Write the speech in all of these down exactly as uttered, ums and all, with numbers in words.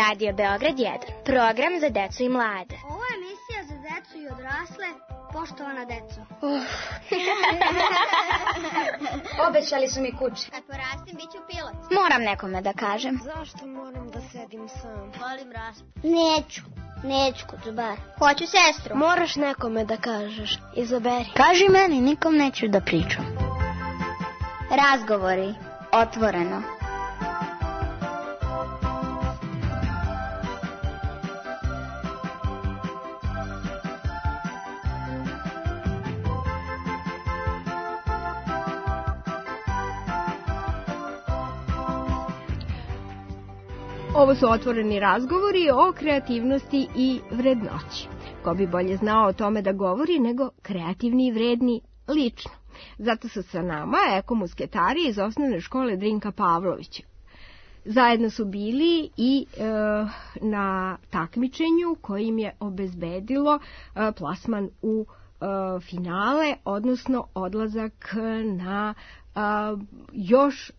Radio Beograd jedan, program za decu i mlade. Ovo je emisija za decu i odrasle, poštovana deco. Uh. Obećali su mi kuće. Kad porastim, bit ću pilot. Moram nekome da kažem. Zašto moram da sedim sam? Volim raspu. Neću, neću kod zubara. Hoću sestru. Moraš nekome da kažeš, izaberi. Kaži meni, nikom neću da pričam. Razgovori, otvoreno. Ovo su otvoreni razgovori o kreativnosti i vrednoći. Ko bi bolje znao o tome da govori nego kreativni i vredni lično. Zato su sa nama ekomusketari iz osnovne škole Drinka Pavlovića. Zajedno su bili i e, na takmičenju kojim je obezbedilo e, plasman u e, finale, odnosno odlazak na e, još e,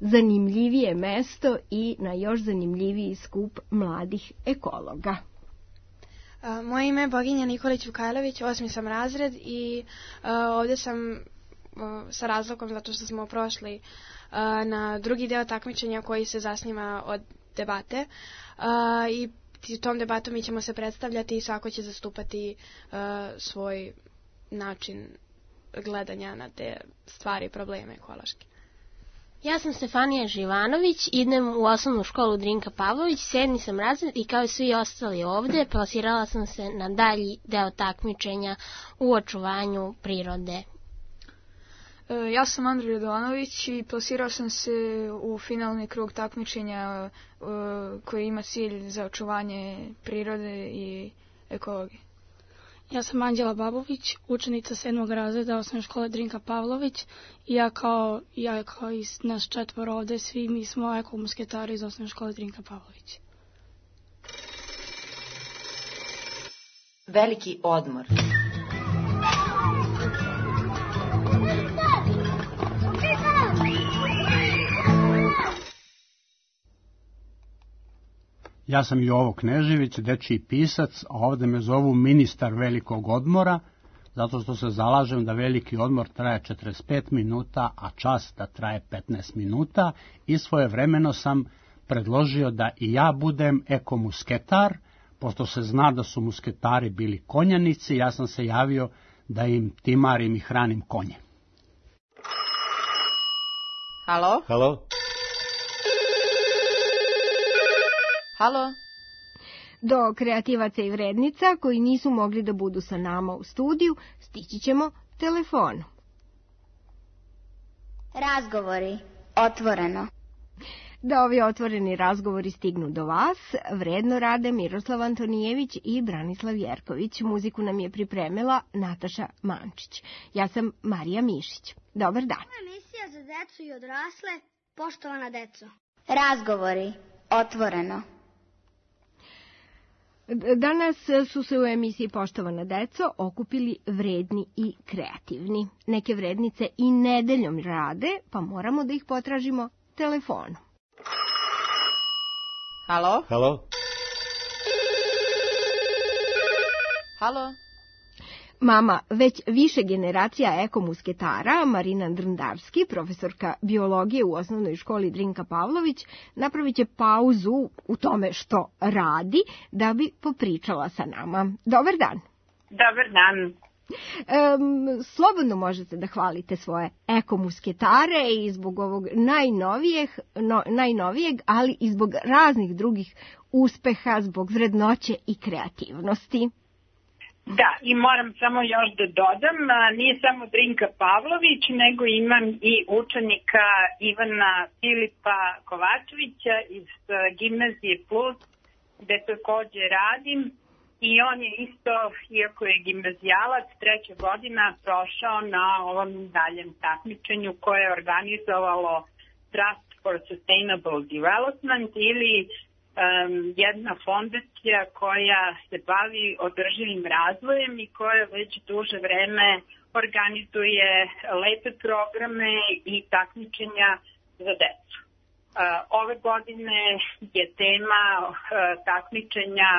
zanimljivije mesto i na još zanimljiviji skup mladih ekologa. Moje ime je Boginja Nikolić Vukajlović, osmi sam razred i uh, ovdje sam uh, sa razlogom zato što smo prošli uh, na drugi deo takmičenja koji se zasniva od debate uh, i tom debatom mi ćemo se predstavljati i svako će zastupati uh, svoj način gledanja na te stvari i probleme ekološke. Ja sam Stefanija Živanović, idem u osnovnu školu Drinka Pavlović, sedmi sam razred i kao i svi ostali ovdje plasirala sam se na dalji deo takmičenja u očuvanju prirode. Ja sam Andrej Radovanović i plasirao sam se u finalni krug takmičenja koji ima cilj za očuvanje prirode i ekologije. Ja sam Anđela Babović, učenica sedmog razreda osnovne škole Drinka Pavlović i ja kao, ja kao i nas četvoro ovde, svi mi smo ekomusketari iz osnovne škole Drinka Pavlović. Veliki odmor. Ja sam Jovo Knežević, dečiji pisac, a ovdje me zovu ministar velikog odmora, zato što se zalažem da veliki odmor traje četrdeset pet minuta, a čas da traje petnaest minuta i svojevremeno sam predložio da i ja budem ekomusketar, pošto se zna da su musketari bili konjanici, ja sam se javio da im timarim i hranim konje. Halo? Halo? Halo? Do kreativaca i vrednica koji nisu mogli da budu sa nama u studiju, stići ćemo telefonom. Razgovori, otvoreno. Da ovi otvoreni razgovori stignu do vas, vredno rade Miroslav Antonijević i Branislav Jerković. Muziku nam je pripremila Nataša Mančić. Ja sam Marija Mišić. Dobar dan. Ovo je emisija za decu i odrasle, poštovana deco. Razgovori, otvoreno. Danas su se u emisiji Poštovana deco okupili vredni i kreativni. Neke vrednice i nedeljom rade, pa moramo da ih potražimo telefonom. Halo? Halo? Halo? Mama već više generacija ekomusketara, Marina Drndarski, profesorka biologije u osnovnoj školi Drinka Pavlović, napravit će pauzu u tome što radi da bi popričala sa nama. Dobar dan. Dobar dan. Um, slobodno možete da hvalite svoje ekomusketare i zbog ovog najnovijeg, no, najnovijeg, ali i zbog raznih drugih uspeha, zbog vrednoće i kreativnosti. Da, i moram samo još da dodam, nije samo Drinka Pavlović, nego imam i učenika Ivana Filipa Kovačevića iz Gimnazije Plus, gde takođe radim. I on je isto, iako je gimnazijalac, treća godina prošao na ovom daljem takmičenju koje je organizovalo Trust for Sustainable Development ili um, jedna fondacija koja se bavi održivim razvojem i koja već duže vreme organizuje lepe programe i takmičenja za decu. Ove godine je tema takmičenja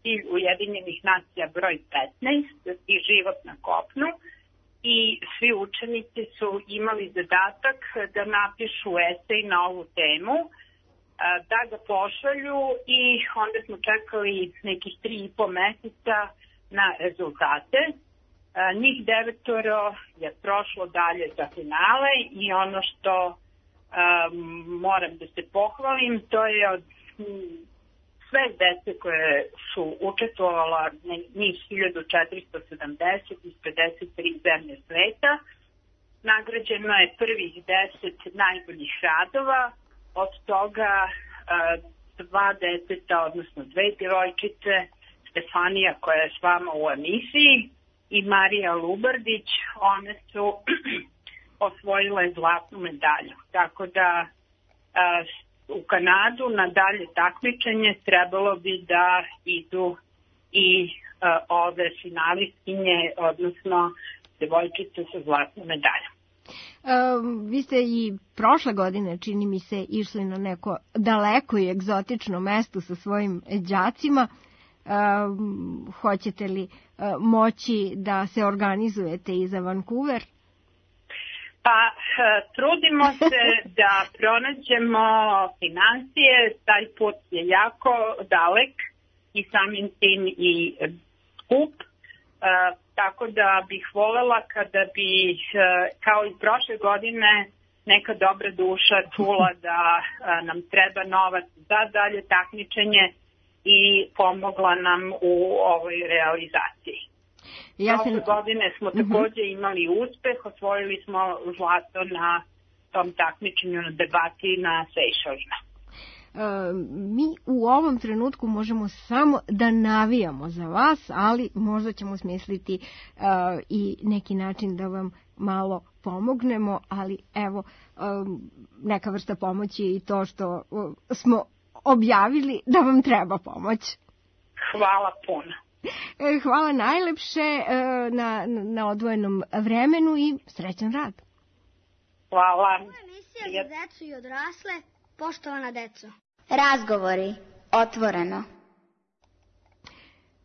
cilj Ujedinjenih nacija broj petnaest i život na kopnu i svi učenici su imali zadatak da napišu esej na ovu temu, da ga pošalju i onda smo čekali nekih tri i po meseca na rezultate. Njih devetoro je prošlo dalje za finale i ono što Um, moram da se pohvalim, to je od m, sve dece koje su učestvovala, njih hiljadu četiristo sedamdeset iz pedeset tri zemlje sveta, nagrađeno je prvih deset najboljih radova, od toga uh, dva deteta, odnosno dve djevojčice, Stefanija koja je s vama u emisiji i Marija Lubardić, one su osvojila je zlatnu medalju. Tako da a, u Kanadu na dalje takmičenje trebalo bi da idu i a, ove finalistkinje, odnosno devojčice sa zlatnom medaljom. Um, vi ste i prošle godine, čini mi se, išli na neko daleko i egzotično mesto sa svojim đacima. Um, hoćete li uh, moći da se organizujete i za Vancouver? Pa trudimo se da pronađemo financije, taj put je jako dalek i samim tim i skup, tako da bih volela kada bi, kao i prošle godine, neka dobra duša čula da nam treba novac za dalje takmičenje i pomogla nam u ovoj realizaciji. Ja sam... Ove godine smo također imali uspeh, osvojili smo zlato na tom takmičenju na debati na Sejšelima. E, mi u ovom trenutku možemo samo da navijamo za vas, ali možda ćemo smisliti e, i neki način da vam malo pomognemo, ali evo, e, neka vrsta pomoći je i to što e, smo objavili da vam treba pomoć. Hvala puno. Hvala najlepše na, na odvojenom vremenu i srećan rad. Hvala. Emisija za decu i odrasle, poštovana deco. Razgovori, otvoreno.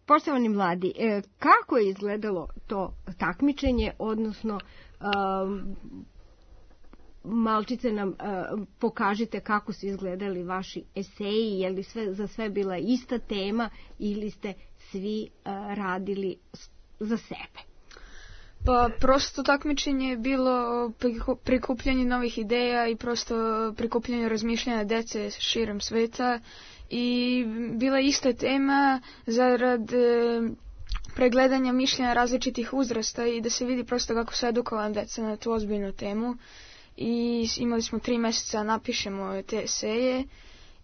Poštovani mladi, kako je izgledalo to takmičenje, odnosno um, malčice nam uh, pokažite kako su izgledali vaši eseji, je li sve, za sve bila ista tema ili ste svi uh, radili za sebe? Pa prosto takmičenje je bilo prikupljanje novih ideja i prosto prikupljanje razmišljanja dece širom sveta i bila je ista tema zarad e, pregledanja mišljenja različitih uzrasta i da se vidi prosto kako su edukovana deca na tu ozbiljnu temu. I imali smo tri mjeseca napišemo te eseje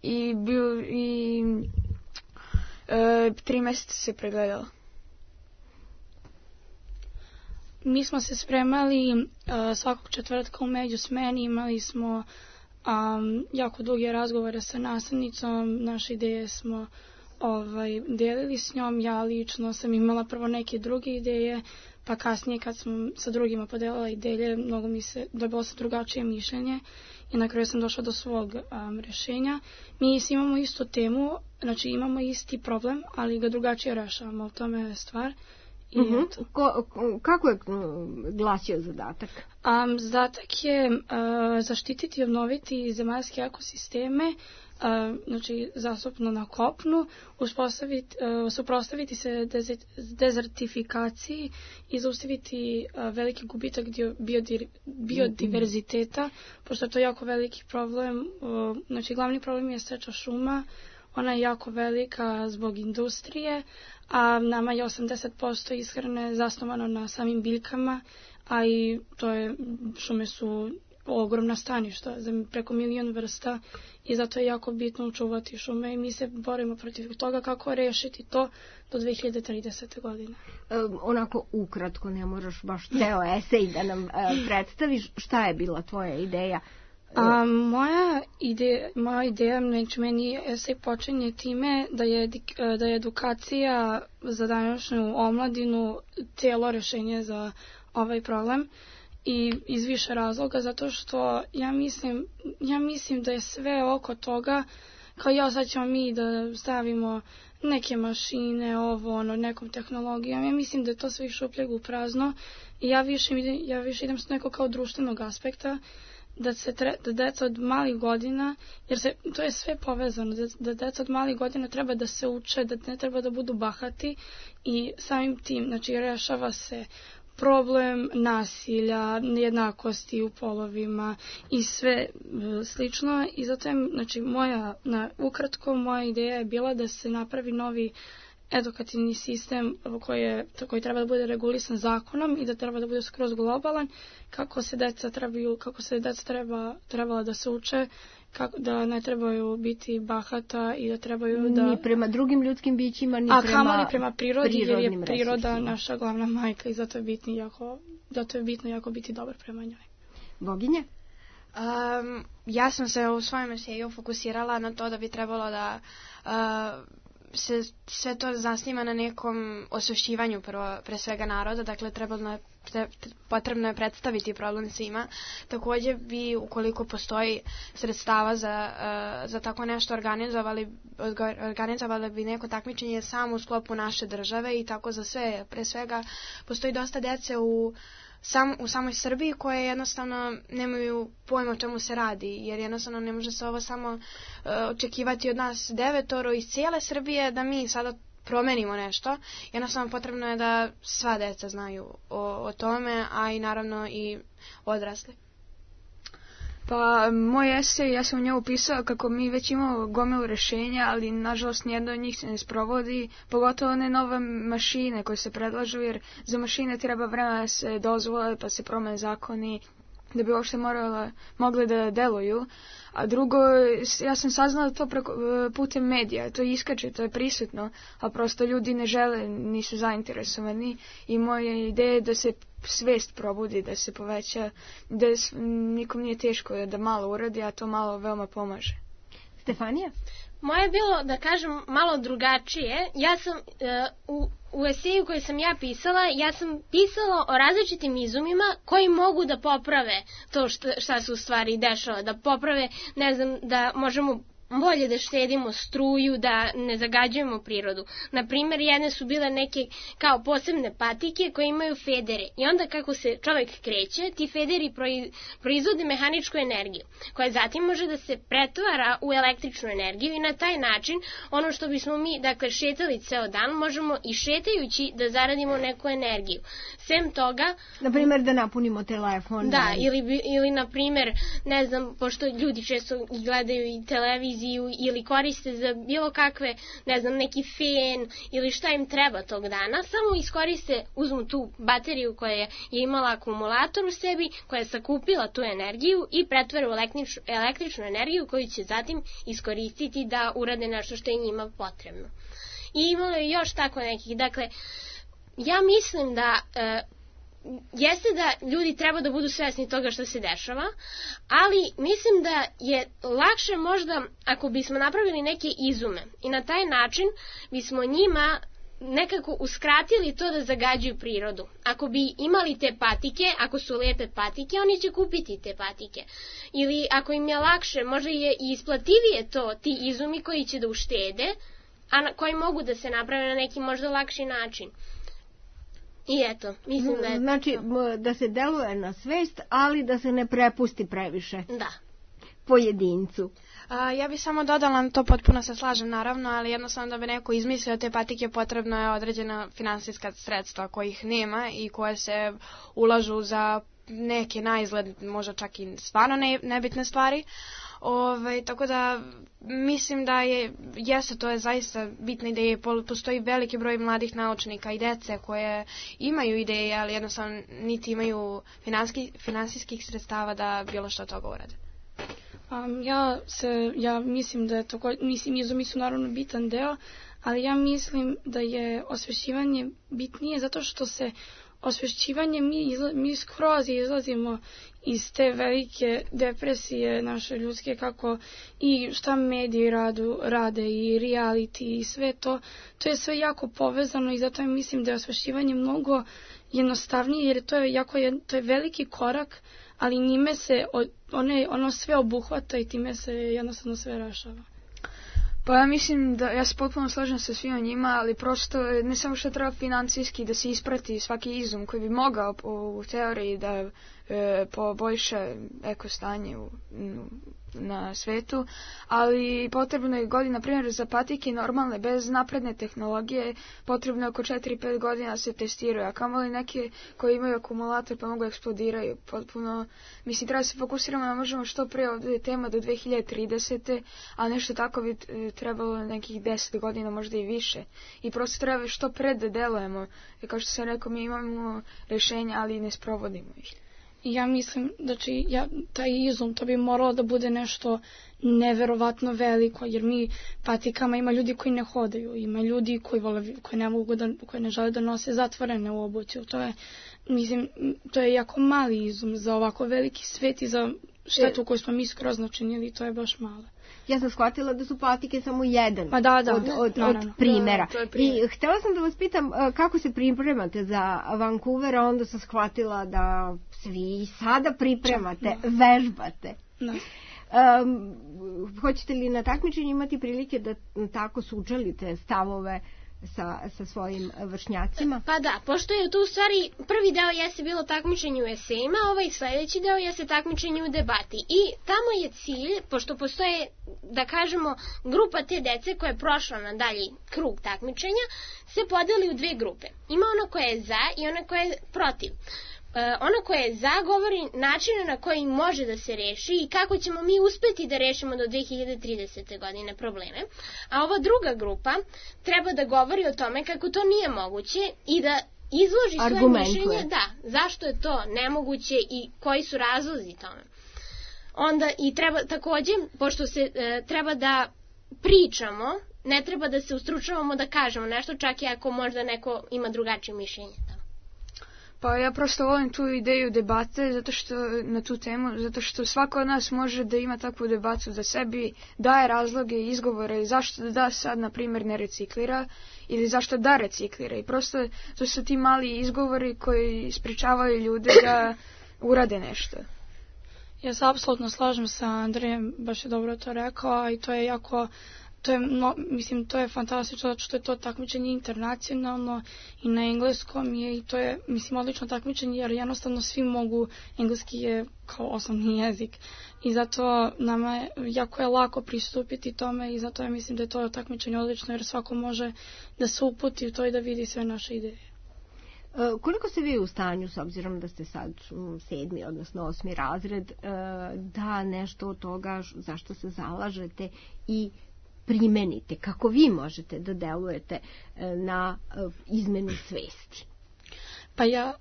i, bil, i e, tri mjeseca se pregledalo. Mi smo se spremali uh, svakog četvrtka u međusmeni, imali smo um, jako duge razgovore sa nastavnicom, naše ideje smo ovaj, delili s njom, ja lično sam imala prvo neke druge ideje, pa kasnije kad sam sa drugima podelila ideje, mnogo mi se dobilo se drugačije mišljenje i na kraju sam došla do svog um, rješenja. Mi imamo istu temu, znači imamo isti problem, ali ga drugačije rešavamo, u tome je stvar. I uh-huh. ko, ko, kako je glasio zadatak? Um, zadatak je uh, zaštititi i obnoviti zemaljske ekosisteme, uh, znači zastupno na kopnu, uspostaviti, uh, suprostaviti se dezert, dezertifikaciji i zaustaviti uh, veliki gubitak biodir, biodiverziteta, uh-huh. pošto je to jako veliki problem. Uh, znači glavni problem je seča šuma, ona je jako velika zbog industrije, a nama je osamdeset posto ishrane zasnovano na samim biljkama, a i to je, šume su ogromna staništa za preko milion vrsta i zato je jako bitno učuvati šume i mi se borimo protiv toga kako rešiti to do dve hiljade tridesete. godine. E, onako ukratko, ne moraš baš ceo esej da nam e, predstaviš. Šta je bila tvoja ideja? A, moja ideja, moja ideja, znači meni esej počinje time da je, da je edukacija za današnju omladinu cijelo rješenje za ovaj problem i iz više razloga, zato što ja mislim, ja mislim da je sve oko toga, kao ja sad ćemo mi da stavimo neke mašine, ovo, ono, nekom tehnologijom, ja mislim da je to sve iz šupljeg u prazno i ja više, ja više idem s nekog kao društvenog aspekta, da se tre, da deca od malih godina, jer se, to je sve povezano, da, da deca od malih godina treba da se uče, da ne treba da budu bahati i samim tim, znači, rešava se problem nasilja, nejednakosti u polovima i sve slično i zato je, znači, moja, na, ukratko, moja ideja je bila da se napravi novi edukativni sistem koji, je, koji treba da bude regulisan zakonom i da treba da bude skroz globalan, kako se deca trebaju, kako se deca treba, trebala da se uče, kako, da ne trebaju biti bahata i da trebaju da... Ni prema drugim ljudskim bićima, ni a prema... A kamoli prema prirodi, jer je priroda resursima. Naša glavna majka i zato je bitno jako, zato je bitno jako biti dobar prema njoj. Boginje? Um, ja sam se u svojem eseju fokusirala na to da bi trebalo da... Uh, se sve to zasniva na nekom osvešćivanju prvo, pre svega naroda, dakle trebalo je, tre, potrebno je predstaviti problem svima. Također bi, ukoliko postoji sredstava za, uh, za tako nešto, organizovali, organizovali bi neko takmičenje samo u sklopu naše države i tako za sve. Pre svega postoji dosta dece u Sam, u samoj Srbiji koje jednostavno nemaju pojma o čemu se radi, jer jednostavno ne može se ovo samo uh, očekivati od nas devetoro iz cijele Srbije da mi sada promenimo nešto. Jednostavno potrebno je da sva deca znaju o, o tome, a i naravno i odrasli. Pa, moj esej, ja sam u njemu pisao kako mi već imamo gomilu rešenja, ali nažalost nijedno od njih se ne sprovodi, pogotovo ne nove mašine koje se predlažu, jer za mašine treba vremena da se dozvole, pa se promene zakoni, da bi uopšte morale, mogle da deluju. A drugo, ja sam saznala to preko, putem medija, to iskače, to je prisutno, a prosto ljudi ne žele, nisu zainteresovani i moja ideja je da se svest probudi, da se poveća, da nikom nije teško da malo uradi, a to malo veoma pomaže. Stefanija? Moje je bilo, da kažem, malo drugačije. Ja sam uh, u, u eseju koji sam ja pisala, ja sam pisala o različitim izumima koji mogu da poprave to šta, šta se u stvari dešava, da poprave, ne znam, da možemo bolje da štedimo struju, da ne zagađujemo prirodu. Naprimer, jedne su bile neke kao posebne patike koje imaju federe i onda kako se čovjek kreće, ti federi proizvode mehaničku energiju, koja zatim može da se pretvara u električnu energiju i na taj način ono što bismo mi, dakle, šetali ceo dan, možemo i šetajući da zaradimo neku energiju. Sem toga... Naprimer, da napunimo telefon. Da, ili, ili naprimer, ne znam, pošto ljudi često gledaju i televiziju ili koriste za bilo kakve, ne znam, neki fen ili šta im treba tog dana, samo iskoriste, uzmu tu bateriju koja je imala akumulator u sebi, koja je sakupila tu energiju i pretvore u električnu, električnu energiju koju će zatim iskoristiti da urade nešto što je njima potrebno. I imalo je još tako nekih, dakle, ja mislim da... E, jeste da ljudi treba da budu svesni toga što se dešava, ali mislim da je lakše možda ako bismo napravili neke izume i na taj način bismo njima nekako uskratili to da zagađuju prirodu. Ako bi imali te patike, ako su lepe patike, oni će kupiti te patike. Ili ako im je lakše, možda je i isplativije to, ti izumi koji će da uštede, a koji mogu da se naprave na neki možda lakši način. I eto, mislim da je... Znači, da se deluje na svest, ali da se ne prepusti previše. Da. Pojedincu. A, ja bih samo dodala, to potpuno se slažem naravno, ali jednostavno da bi neko izmislio te patike potrebno je određena finansijska sredstva kojih nema i koje se ulažu za neke na izgled, možda čak i stvarno ne, nebitne stvari. Ove, tako da mislim da je, jeste, to je zaista bitna ideja, postoji veliki broj mladih naučnika i dece koje imaju ideje, ali jednostavno niti imaju finanski, finansijskih sredstava da bilo što toga urade. Um, ja, se, ja mislim da je to, mislim, izumi su naravno bitan deo, ali ja mislim da je osvešćivanje bitnije zato što se osvešćivanje mi, izla, mi skroz izlazimo iz te velike depresije naše ljudske, kako i šta mediji radu, rade i reality i sve to, to je sve jako povezano i zato mislim da je osvešćivanje mnogo jednostavnije jer to je jako je, to je veliki korak, ali njime se one, ono sve obuhvata i time se jednostavno sve rešava. Pa ja mislim da ja se potpuno slažem sa svima njima, ali prosto ne samo što treba financijski da se isprati svaki izum koji bi mogao u teoriji da e, poboljša eko stanje u, na svetu, ali potrebno je godina, na primjer za patike normalne, bez napredne tehnologije, potrebno je oko četiri do pet godina se testiraju, a kamoli neke koji imaju akumulator pa mogu eksplodiraju. Potpuno, mislim, treba se fokusiramo da možemo što pre, ovdje je tema do dve hiljade tridesete. a nešto tako bi trebalo nekih deset godina, možda i više. I prosto treba što pre da delujemo. Kao što sam rekao, mi imamo rešenja, ali ne sprovodimo ih. Ja mislim da će ja, taj izum, to bi moralo da bude nešto neverovatno veliko, jer mi patikama ima ljudi koji ne hodaju, ima ljudi koji, vole, koji, ne, mogu da, koji ne žele da nose zatvorene u obuću. To je, mislim, to je jako mali izum za ovako veliki svet i za štetu koju smo mi skroz načinili, to je baš malo. Ja sam shvatila da su patike samo jedan pa da, da, od, od, no, od no, no. primjera. Da, primjer. I htjela sam da vas pitam kako se pripremate za Vancouver, a onda sam shvatila da svi sada pripremate, no. vežbate. No. Um, hoćete li na takmičenju imati prilike da tako sučelite stavove sa, sa svojim vršnjacima? Pa da, pošto je tu u stvari prvi deo jeste bilo takmičenje u esejima, ovaj sljedeći deo jeste takmičenje u debati. I tamo je cilj, pošto postoje, da kažemo, grupa te dece koja je prošla na dalji krug takmičenja, se podeli u dve grupe. Ima ono koje je za i ono koje je protiv. Uh, ono koje je za govori načine na koji može da se reši i kako ćemo mi uspeti da rešimo do dve hiljade tridesete. godine probleme, a ova druga grupa treba da govori o tome kako to nije moguće i da izloži svoje mišljenje, da, zašto je to nemoguće i koji su razlozi tome. Onda i treba takođe, pošto se e, treba da pričamo, ne treba da se ustručavamo da kažemo nešto, čak i ako možda neko ima drugačije mišljenje. Pa ja prosto volim tu ideju debate zato što, na tu temu, zato što svako od nas može da ima takvu debatu za sebi, daje razloge i izgovore zašto da, da sad, na primjer, ne reciklira ili zašto da reciklira. I prosto to su ti mali izgovori koji sprečavaju ljude da urade nešto. Ja se apsolutno slažem sa Andrejem, baš je dobro to rekao, i to je jako... To je, no, mislim, to je fantastično zato što je to takmičenje internacionalno i na engleskom je i to je, mislim, odlično takmičenje jer jednostavno svi mogu, engleski je kao osnovni jezik i zato nama je, jako je lako pristupiti tome i zato ja mislim da je to takmičenje odlično jer svako može da se uputi u to i da vidi sve naše ideje. Koliko ste vi u stanju, s obzirom da ste sad sedmi, odnosno osmi razred, da nešto od toga zašto se zalažete i primenite, kako vi možete da delujete na izmenu svesti? Pa ja,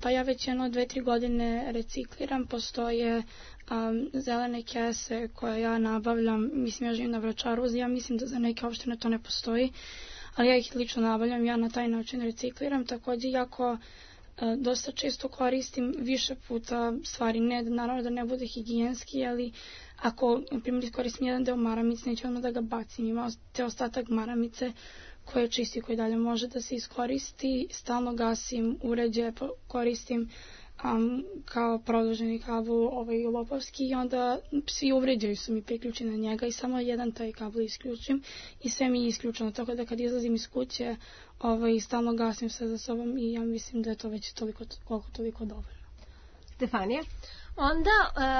pa ja već jedno dve, tri godine recikliram, postoje um, zelene kese koje ja nabavljam, mislim ja živim na Vračaru, ja mislim da za neke opštine to ne postoji, ali ja ih lično nabavljam, ja na taj način recikliram, također jako dosta često koristim više puta stvari, ne, naravno da ne bude higijenski, ali ako, na primjer, iskoristim jedan deo maramice, neću odmah da ga bacim, ima te ostatak maramice koje je čisti, koji dalje može da se iskoristi, stalno gasim uređaje, koristim um, kao produženi kabel ovaj lopovski i onda svi uređaji su mi priključeni na njega i samo jedan taj kabel isključim i sve mi je isključeno, tako da kad izlazim iz kuće ovaj, stalno gasim sve za sobom i ja mislim da je to već toliko, koliko toliko dovoljno. Stefanija? Onda...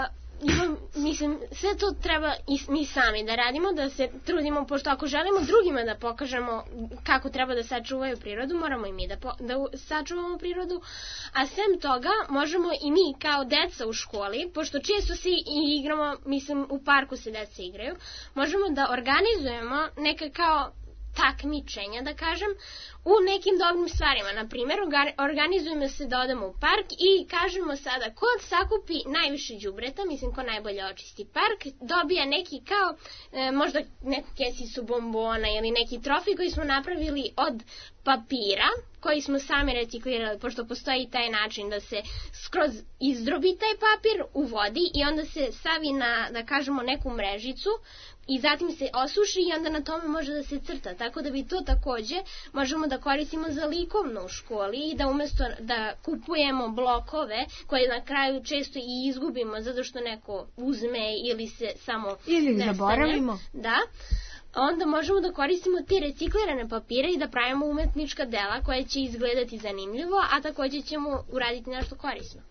Uh... Imam, mislim, sve to treba i mi sami da radimo, da se trudimo, pošto ako želimo drugima da pokažemo kako treba da sačuvaju prirodu, moramo i mi da, po, da sačuvamo prirodu, a sem toga možemo i mi kao deca u školi, pošto često se i igramo, mislim, u parku se deca igraju, možemo da organizujemo neka kao takmičenja, da kažem, u nekim dobrim stvarima. Na primjer, organizujemo se da odemo u park i kažemo sada ko sakupi najviše đubreta, mislim ko najbolje očisti park, dobija neki kao, e, možda neku kesicu bombona ili neki trofej koji smo napravili od papira, koji smo sami reciklirali, pošto postoji taj način da se skroz izdrobi taj papir u vodi i onda se stavi na, da kažemo, neku mrežicu i zatim se osuši i onda na tome može da se crta. Tako da bi to takođe možemo da koristimo za likovno u školi i da umesto da kupujemo blokove koje na kraju često i izgubimo zato što neko uzme ili se samo ili nestane. Zaboravimo. Da. Onda možemo da koristimo te reciklirane papire i da pravimo umetnička dela koja će izgledati zanimljivo, a takođe ćemo uraditi nešto korisno.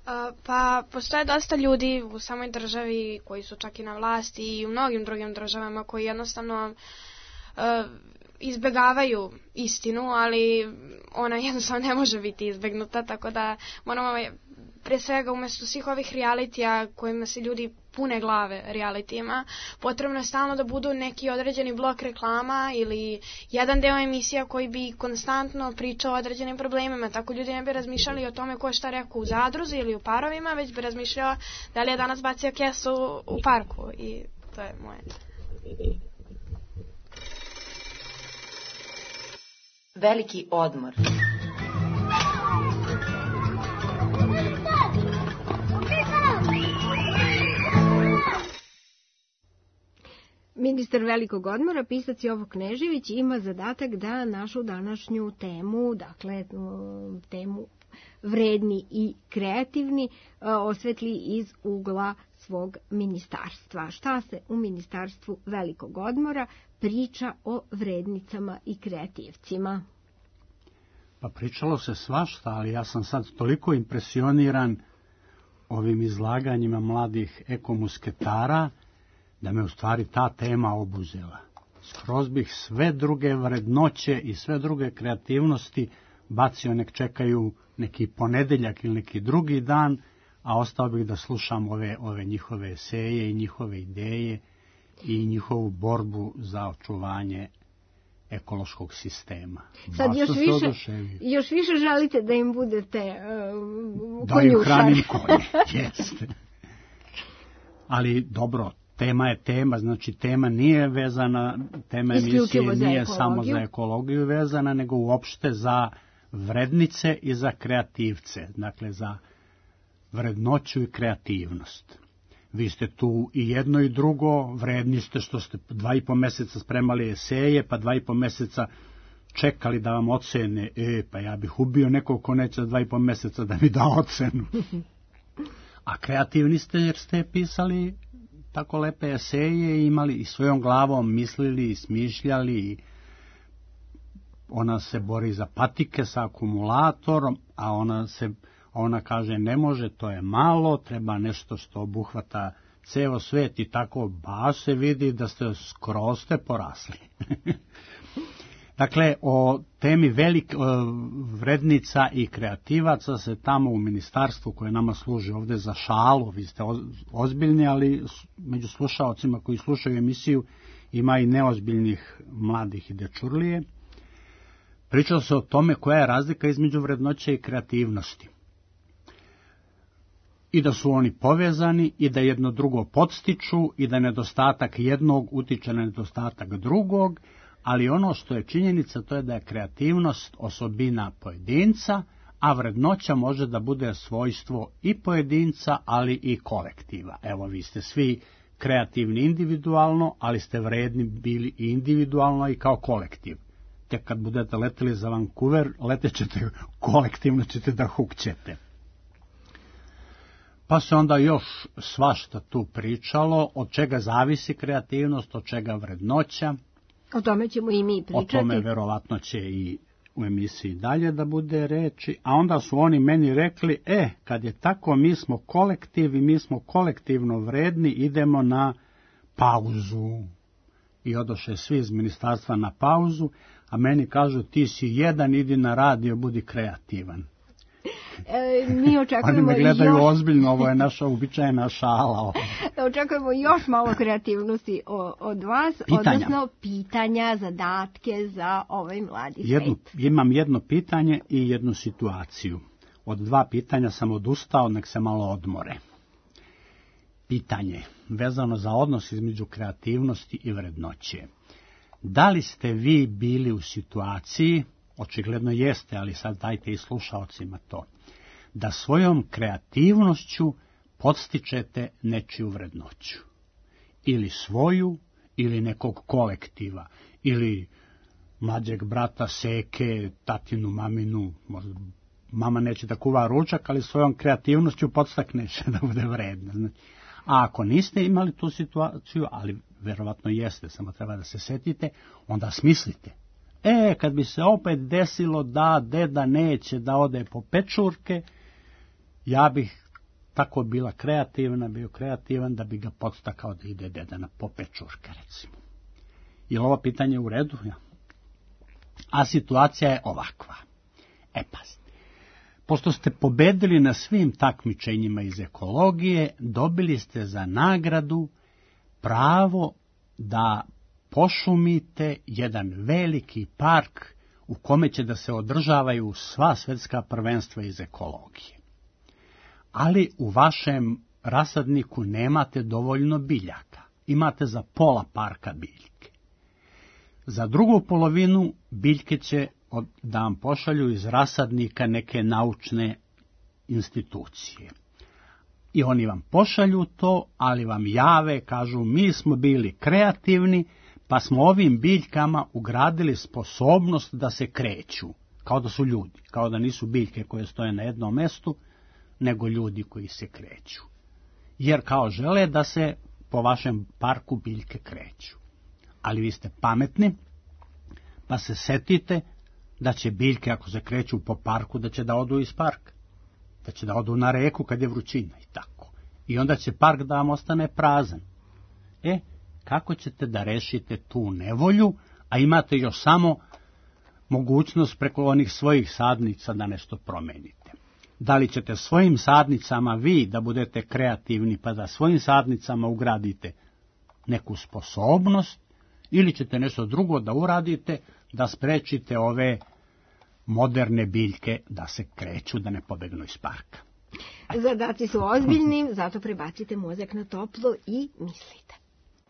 Uh, pa postoje dosta ljudi u samoj državi koji su čak i na vlasti i u mnogim drugim državama koji jednostavno uh, izbegavaju istinu, ali ona jednostavno ne može biti izbegnuta, tako da moramo pre svega umesto svih ovih realitija kojima se ljudi pune glave realitijima, potrebno je stalno da budu neki određeni blok reklama ili jedan deo emisija koji bi konstantno pričao o određenim problemima, tako ljudi ne bi razmišljali o tome ko je šta rekao u zadruzi ili u parovima, već bi razmišljao da li je danas bacio kesu u parku i to je moje. Veliki odmor. Ministar velikog odmora, pisac Jovo Knežević, ima zadatak da našu današnju temu, dakle temu vredni i kreativni, osvetli iz ugla svog ministarstva. Šta se u ministarstvu velikog odmora priča o vrednicama i kreativcima? Pa pričalo se svašta, ali ja sam sad toliko impresioniran ovim izlaganjima mladih ekomusketara, da me u stvari ta tema obuzela. Skroz bih sve druge vrednoće i sve druge kreativnosti bacio, nek čekaju neki ponedeljak ili neki drugi dan, a ostao bih da slušam ove, ove njihove eseje i njihove ideje i njihovu borbu za očuvanje ekološkog sistema. Sad još više, još više želite da im budete uh, da im hranim konje, jeste. Ali dobro, tema je tema, znači tema nije vezana, tema emisije nije samo za ekologiju vezana, nego uopšte za vrednice i za kreativce, dakle za vrednoću i kreativnost. Vi ste tu i jedno i drugo, vredni ste što ste dva i po meseca spremali eseje, pa dva i po meseca čekali da vam ocene, e, pa ja bih ubio nekog ko neće dva i po meseca da mi da ocenu. A kreativni ste jer ste pisali tako lepe eseje i imali i svojom glavom mislili i smišljali i ona se bori za patike sa akumulatorom, a ona se ona kaže ne može, to je malo, treba nešto što obuhvata ceo svet i tako baš se vidi da ste skroz ste porasli. Dakle, o temi velik, vrednica i kreativaca se tamo u ministarstvu koje nama služi ovde za šalu, vi ste ozbiljni, ali među slušaocima koji slušaju emisiju ima i neozbiljnih mladih i dečurlije. Pričalo se o tome koja je razlika između vrednoće i kreativnosti. I da su oni povezani i da jedno drugo podstiču i da nedostatak jednog utiče na nedostatak drugog, ali ono što je činjenica to je da je kreativnost osobina pojedinca, a vrednoća može da bude svojstvo i pojedinca, ali i kolektiva. Evo, vi ste svi kreativni individualno, ali ste vredni bili i individualno i kao kolektiv. Tek kad budete leteli za Vancouver, letećete kolektivno, ćete da hukćete. Pa se onda još svašta tu pričalo, od čega zavisi kreativnost, od čega vrednoća. O tome ćemo i mi pričati. O tome verovatno će i u emisiji dalje da bude reči. A onda su oni meni rekli, e, kad je tako, mi smo kolektiv i mi smo kolektivno vredni, idemo na pauzu. I odoše svi iz ministarstva na pauzu, a meni kažu, ti si jedan, idi na radio, budi kreativan. E, mi očekujemo Oni me gledaju još... ozbiljno, ovo je naša uobičajena šala. Očekujemo još malo kreativnosti od vas, pitanja. Odnosno pitanja, zadatke za ovaj mladi jednu, svet. Imam jedno pitanje i jednu situaciju. Od dva pitanja sam odustao, nek se malo odmore. Pitanje vezano za odnos između kreativnosti i vrednoće. Da li ste vi bili u situaciji, očigledno jeste, ali sad dajte i slušaocima to, da svojom kreativnošću podstičete nečiju vrednoću. ili svoju, ili nekog kolektiva, ili mlađeg brata, seke, tatinu, maminu, možda mama neće da kuva ručak, ali svojom kreativnošću podstakneš da bude vredna. Znači, a ako niste imali tu situaciju, ali verovatno jeste, samo treba da se setite, onda smislite. E, kad bi se opet desilo da deda neće da ode po pečurke, ja bih tako bila kreativna, bio kreativan da bi ga podstakao da ide deda na po pečurke, recimo. Je li ovo pitanje u redu? Ja. A situacija je ovakva. E, pazite. Pošto ste pobedili na svim takmičenjima iz ekologije, dobili ste za nagradu pravo da pošumite jedan veliki park u kome će da se održavaju sva svetska prvenstva iz ekologije. Ali u vašem rasadniku nemate dovoljno biljaka. Imate za pola parka biljke. Za drugu polovinu biljke će da vam pošalju iz rasadnika neke naučne institucije. I oni vam pošalju to, ali vam jave, kažu, mi smo bili kreativni, pa smo ovim biljkama ugradili sposobnost da se kreću, kao da su ljudi, kao da nisu biljke koje stoje na jednom mestu, nego ljudi koji se kreću. Jer kao žele da se po vašem parku biljke kreću. Ali vi ste pametni, pa se setite da će biljke, ako se kreću po parku, da će da odu iz parka, da će da odu na reku kad je vrućina i tako. I onda će park da vam ostane prazan. E, kako ćete da rešite tu nevolju, a imate još samo mogućnost preko onih svojih sadnica da nešto promenite? Da li ćete svojim sadnicama vi da budete kreativni pa da svojim sadnicama ugradite neku sposobnost, ili ćete nešto drugo da uradite da sprečite ove moderne biljke da se kreću, da ne pobegnu iz parka? Zadaci su ozbiljni, zato prebacite mozak na toplo i mislite.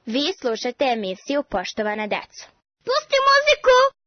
Vi slušate emisiju Poštovana deco. Pusti muziku!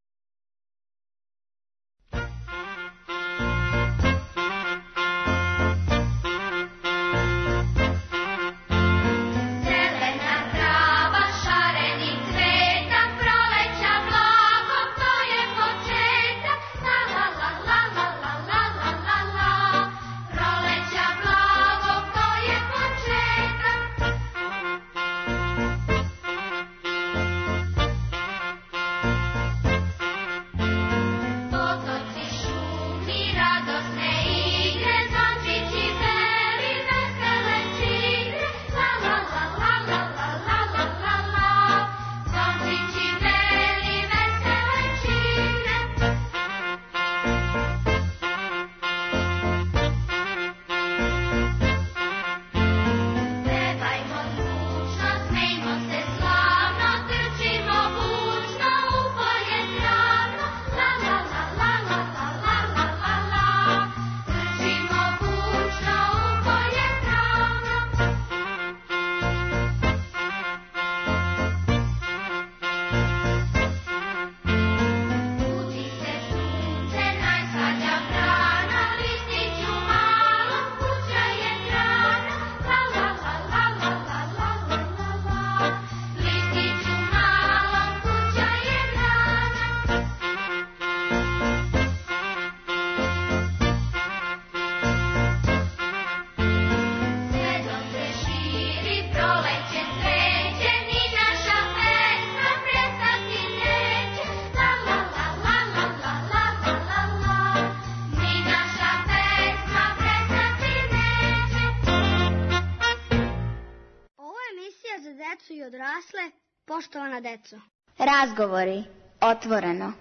I odrasle, poštovana deco. Razgovori, otvoreno.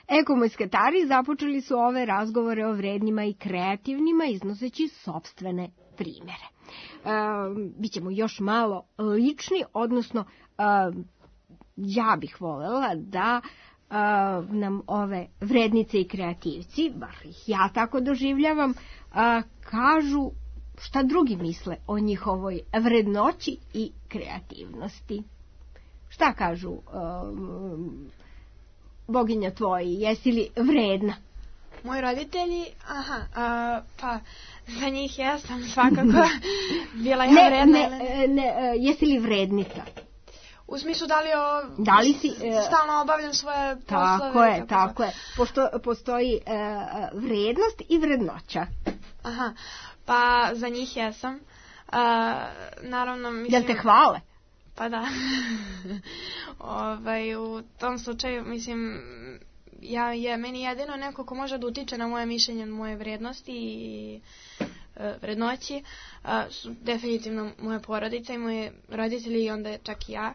Ekomusketari započeli su ove razgovore o vrednima i kreativnima iznoseći sopstvene primere. E, bićemo još malo lični, odnosno e, ja bih voljela da e, nam ove vrednice i kreativci, bar ih ja tako doživljavam, e, kažu šta drugi misle o njihovoj vrednoći i kreativnosti. Šta kažu um, boginja tvoji, jesi li vredna? Moji roditelji, aha, a, pa za njih ja sam svakako bila ja ne, vredna. Ne, ne, jesi li vrednica? U smislu da li, o, da li si, e, stalno obavljam svoje poslove? Tako je, tako, tako je. Pošto postoji e, vrednost i vrednoća. Aha, pa za njih jesam. A, naravno, mislim... Jel te hvale? Pa da. ovaj, u tom slučaju, mislim, ja je meni jedino neko ko može da utiče na moje mišljenje, moje vrednosti i e, vrednoći, a, su definitivno moje porodice i moje roditelji i onda čak i ja.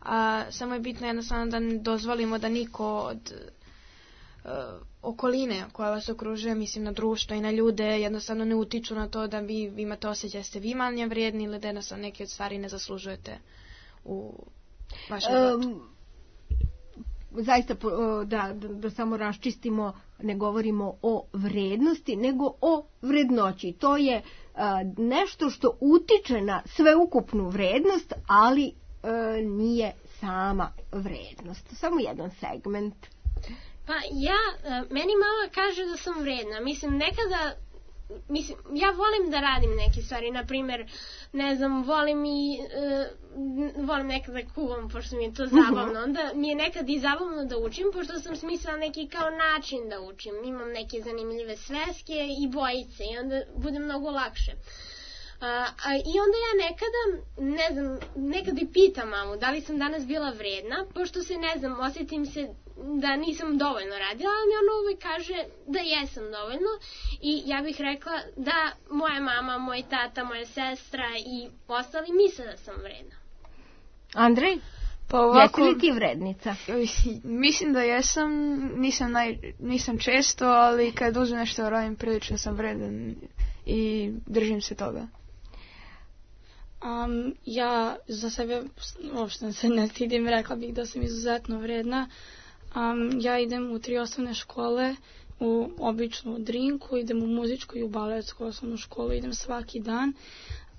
A, samo je bitno jednostavno da ne dozvolimo da niko od e, okoline koja vas okružuje, mislim na društvo i na ljude, jednostavno ne utiču na to da vi imate osjećaj da ste vi manje vrijedni ili da jednostavno neke od stvari ne zaslužujete u vašem životu. Um, zaista da, da, da samo raščistimo, ne govorimo o vrednosti, nego o vrednoći. To je a, nešto što utiče na sveukupnu vrednost, ali a, nije sama vrednost. Samo jedan segment. Pa ja, meni mama kaže da sam vredna. Mislim, nekada, mislim, ja volim da radim neke stvari, na primjer, ne znam, volim i, uh, volim nekada kuvam, pošto mi je to zabavno, onda mi je nekad i zabavno da učim, pošto sam smislila neki kao način da učim. Imam neke zanimljive sveske i bojice i onda bude mnogo lakše. Uh, a, I onda ja nekada, ne znam, nekad i pitam mamu da li sam danas bila vredna, pošto se, ne znam, osjetim se da nisam dovoljno radila, ali mi ona uvijek kaže da jesam dovoljno i ja bih rekla da moja mama, moj tata, moja sestra i ostali misle da sam vredna. Andrej, pa ovako, jesi li ti vrednica? Mislim da jesam, nisam, naj, nisam često, ali kad uzmem nešto radim prilično sam vredan i držim se toga. Um, ja za sebe uopšte se ne stidim, rekla bih da sam izuzetno vredna. Um, ja idem u tri osnovne škole, u običnu Drinku, idem u muzičku i u baletsku osnovnu školu, idem svaki dan.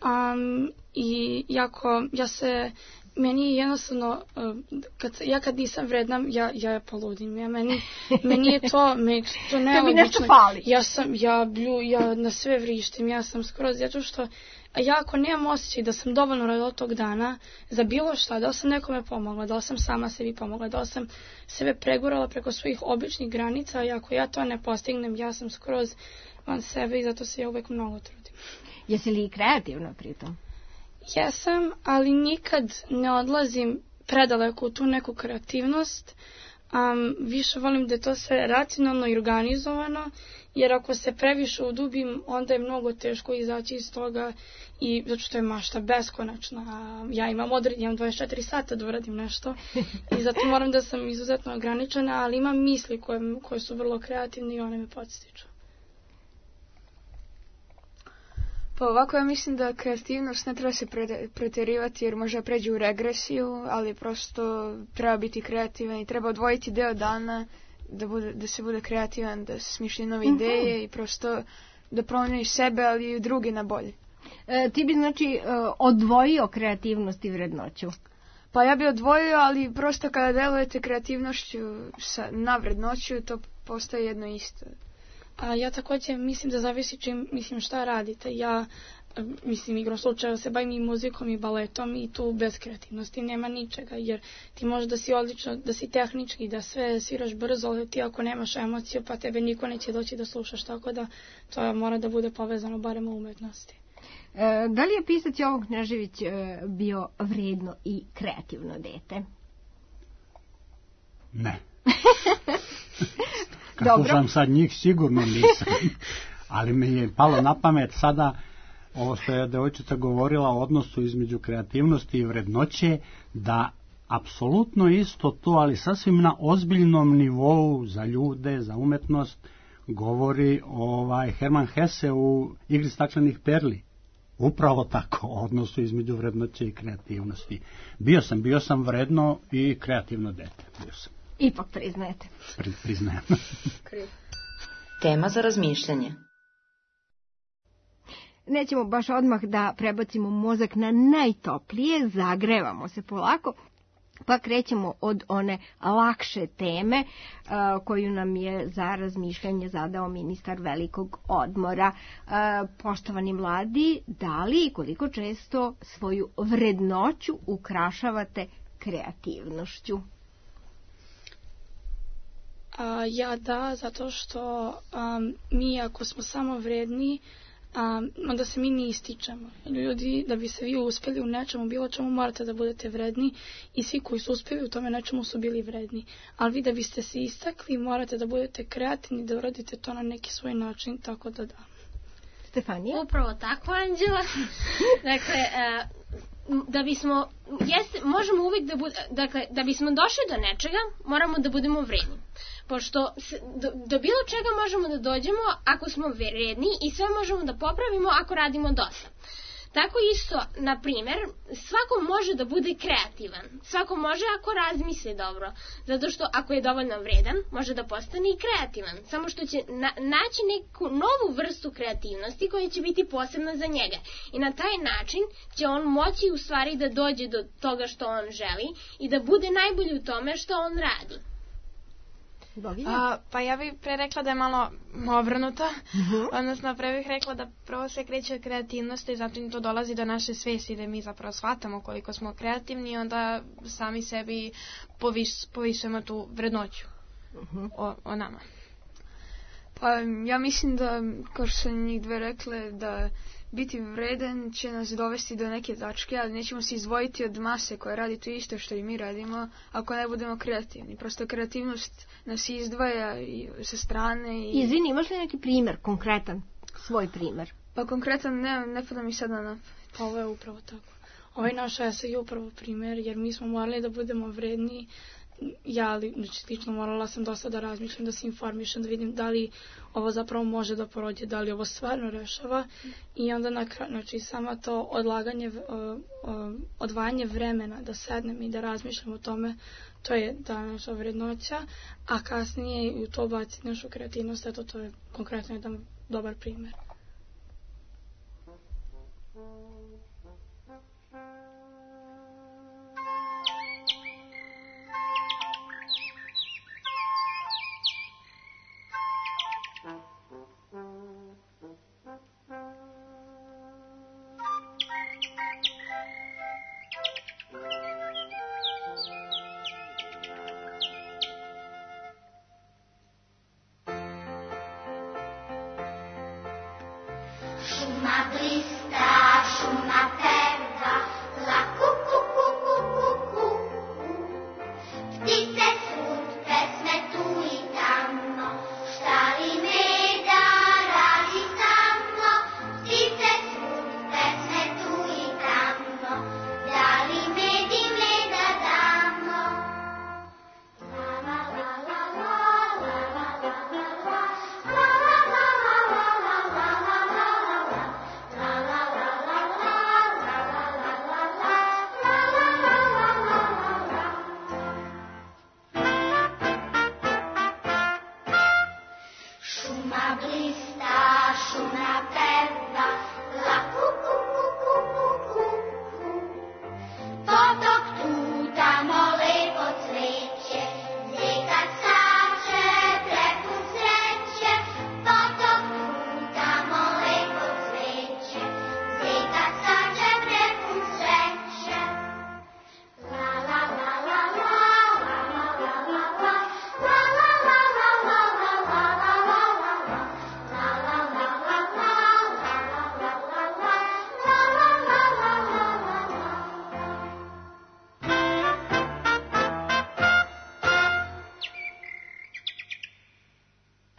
Um, I jako, ja se, meni je jednostavno, uh, kad, ja kad nisam vredna, ja, ja poludim. Ja, meni, meni je to, meni to nelogično. Nešto fali. Ja sam, ja blju, ja na sve vrištim, ja sam skroz, zato što ja ako nemam osjećaj da sam dovoljno radila tog dana za bilo šta, da sam nekome pomogla, da sam sama sebi pomogla, da sam sebe pregurala preko svojih običnih granica i ako ja to ne postignem, ja sam skroz van sebe i zato se ja uvek mnogo trudim. Jesi li kreativna pritom? Jesam, ali nikad ne odlazim predaleko u tu neku kreativnost. Um, više volim da je to sve racionalno i organizovano, jer ako se previše udubim, onda je mnogo teško izaći iz toga i zato što je mašta beskonačna. Ja imam odred, imam dvadeset četiri sata da uradim nešto i zato moram da sam izuzetno ograničena, ali imam misli koje, koje su vrlo kreativne i one me podstiču. Pa ovako ja mislim da kreativnost ne treba se pretjerivati jer može pređe u regresiju, ali prosto treba biti kreativan i treba odvojiti deo dana da, bude, da se bude kreativan, da se smišlja nove mm-hmm. ideje i prosto da promeniš sebe, ali i drugi na bolje. E, ti bi znači e, odvojio kreativnost i vrednoću? Pa ja bi odvojio, ali prosto kada delujete kreativnošću sa, na vrednoću, to postaje jedno isto. A ja također mislim da zavisi čim, mislim šta radite. Ja, mislim, igrom slučaja se bavim i muzikom i baletom i tu bez kreativnosti nema ničega, jer ti možeš da si odlično, da si tehnički, da sve sviraš brzo, ali ti ako nemaš emociju, pa tebe niko neće doći da slušaš, tako da to mora da bude povezano barem u umetnosti. E, da li je pisac Jovo Knežević e, bio vredno i kreativno dete? Ne. Kad Dobro. Slušam sad njih, sigurno nisam. Ali mi je palo na pamet sada ovo što je devojčica govorila o odnosu između kreativnosti i vrednoće, da apsolutno isto to, ali sasvim na ozbiljnom nivou za ljude, za umetnost, govori ovaj Herman Hesse u Igri staklenih perli. Upravo tako, o odnosu između vrednoće i kreativnosti. Bio sam, bio sam vredno i kreativno dete. Bio sam. Ipak priznajete. Pri, priznajem. Tema za razmišljanje. Nećemo baš odmah da prebacimo mozak na najtoplije, zagrevamo se polako, Pa krećemo od one lakše teme uh, koju nam je za razmišljanje zadao ministar velikog odmora. Uh, poštovani mladi, da li i koliko često svoju vrednoću ukrašavate kreativnošću? A, ja da, zato što um, mi ako smo samo vredni, Um, onda se mi ne ističemo. Ljudi, da bi se vi uspjeli u nečemu, bilo čemu, morate da budete vredni i svi koji su uspjeli u tome nečemu su bili vredni. Ali vi da biste se istakli, morate da budete kreativni, da uradite to na neki svoj način, tako da da. Stefanija? Upravo tako, Anđela. Dakle, uh, da bismo, jeste, možemo uvijek da bude, dakle, da bismo došli do nečega, moramo da budemo vredni. Pošto do, do bilo čega možemo da dođemo ako smo vredni i sve možemo da popravimo ako radimo dosta. Tako isto, na primjer, svako može da bude kreativan. Svako može ako razmisli dobro. Zato što ako je dovoljno vredan, može da postane i kreativan. Samo što će na, naći neku novu vrstu kreativnosti koja će biti posebna za njega. I na taj način će on moći u stvari da dođe do toga što on želi i da bude najbolji u tome što on radi. A, pa ja bih pre rekla da je malo obrnuto, uh-huh. odnosno pre bih rekla da prvo se kreće od kreativnosti i zatim to dolazi do naše svesti da mi zapravo shvatamo koliko smo kreativni i onda sami sebi poviš, povišujemo tu vrednoću uh-huh. o, o nama. Pa ja mislim da, kao što su njih dve rekle, da biti vredan će nas dovesti do neke tačke, ali nećemo se izdvojiti od mase koja radi to isto što i mi radimo ako ne budemo kreativni. Prosto kreativnost nas izdvaja i sa strane. I... Izvini, imaš li neki primjer, konkretan, svoj primjer? Pa konkretan ne, ne pada mi sad na napad. Pa ovo je upravo tako. Ovaj naš esej je upravo primjer, jer mi smo morali da budemo vredni. Ja lično morala sam dosta da razmišljam, da se informišem, da vidim da li ovo zapravo može da prođe, da li ovo stvarno rešava. I onda na kraju, znači samo to odlaganje, uh, uh, odvajanje vremena da sednem i da razmišljam o tome, to je ta naša vrednoća, a kasnije u to baciti našu kreativnost, eto to je konkretno jedan dobar primjer.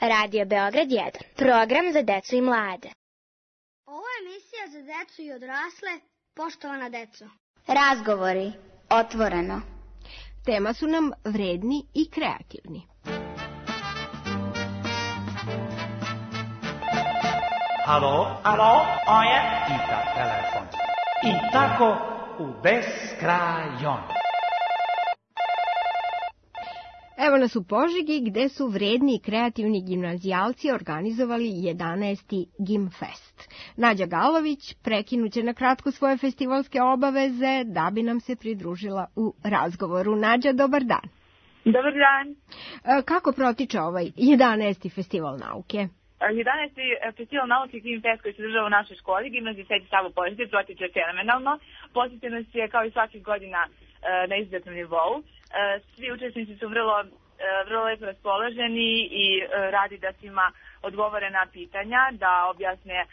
Radio Beograd jedan. Program za decu i mlade. Ovo je emisija za decu i odrasle, poštovana deco. Razgovori, otvoreno. Tema su nam vredni i kreativni. Alo, alo, ovo je pita telefon. I tako u beskrajon. Evo nas u Požegi gde su vredni i kreativni gimnazijalci organizovali jedanaesti Gimfest. Nađa Galović prekinuće na kratko svoje festivalske obaveze da bi nam se pridružila u razgovoru. Nađa, dobar dan. Dobar dan. Kako protiče ovaj jedanaesti festival nauke? jedanaesti festival nauke Gimfest koji se država u našoj školi, Gimnaziji Sveti Savo Požege, protiče fenomenalno. Posjećenost je kao i svakih godina na izuzetnom nivou. Svi učesnici su vrlo, vrlo lepo raspoloženi i radi da svima odgovore na pitanja, da objasne